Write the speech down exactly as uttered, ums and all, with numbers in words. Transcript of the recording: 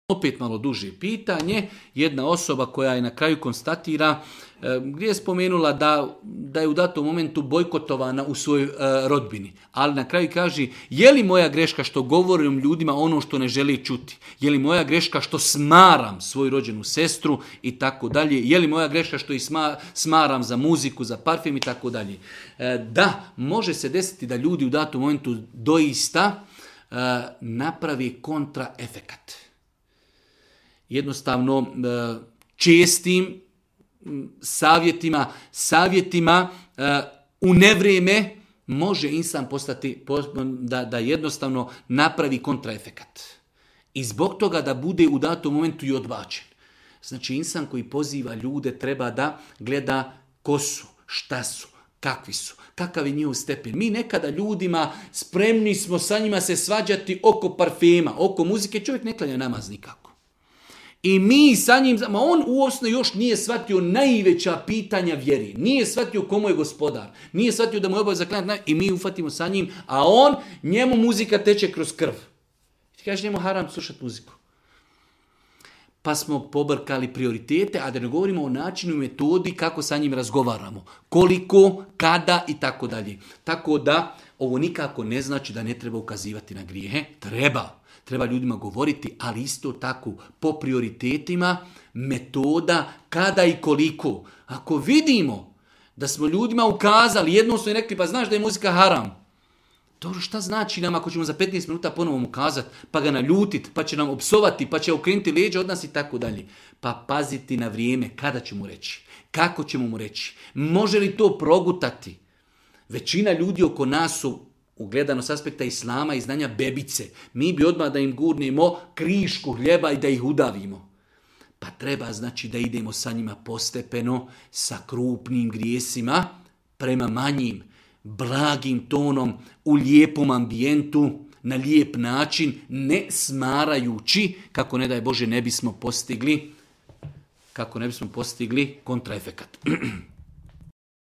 Opet malo duže pitanje. Jedna osoba koja je na kraju konstatira gdje je spomenula da, da je u datom momentu bojkotovana u svojoj e, rodbini. Ali na kraju kaže, je li moja greška što govorim ljudima ono što ne želi čuti? Je li moja greška što smaram svoju rođenu sestru i tako dalje? Je li moja greška što ih sma, smaram za muziku, za parfem i tako dalje? E, da, može se desiti da ljudi u datom momentu doista e, napravi kontraefekat. Jednostavno e, čestim savjetima, savjetima uh, u nevrijeme može insan postati da, da jednostavno napravi kontraefekat. I zbog toga da bude u datom momentu i odbačen. Znači insan koji poziva ljude treba da gleda ko su, šta su, kakvi su, kakav je njihov stepen. Mi nekada ljudima spremni smo sa njima se svađati oko parfema, oko muzike, čovjek ne klanja namaz nikako. I mi sa njim, ma on uosno još nije shvatio najveća pitanja vjeri. Nije shvatio komu je gospodar. Nije shvatio da mu je obaveza klanjati i mi ufatimo sa njim, a on, njemu muzika teče kroz krv. Ti kažeš njemu haram slušati muziku. Pa smo pobrkali prioritete, a da ne govorimo o načinu i metodi kako sa njim razgovaramo. Koliko, kada i tako dalje. Tako da ovo nikako ne znači da ne treba ukazivati na grijehe. Treba. Treba ljudima govoriti, ali isto tako po prioritetima, metoda, kada i koliko. Ako vidimo da smo ljudima ukazali, jednom su i rekli, pa znaš da je muzika haram. Dobro, šta znači nam ako ćemo za petnaest minuta ponovo mu kazati, pa ga naljutiti, pa će nam opsovati, pa će okrenuti leđa od nas i tako dalje. Pa paziti na vrijeme, kada će mu reći, kako ćemo mu reći, može li to progutati. Većina ljudi oko nas su, ugledano s aspekta islama i znanja, bebice. Mi bi odmah da im gurnemo krišku hljeba i da ih udavimo. Pa treba znači da idemo sa njima postepeno, sa krupnim grijesima, prema manjim, blagim tonom, u lijepom ambijentu, na lijep način, ne smarajući, kako ne daj Bože ne bismo postigli, kako ne bismo postigli kontraefekat.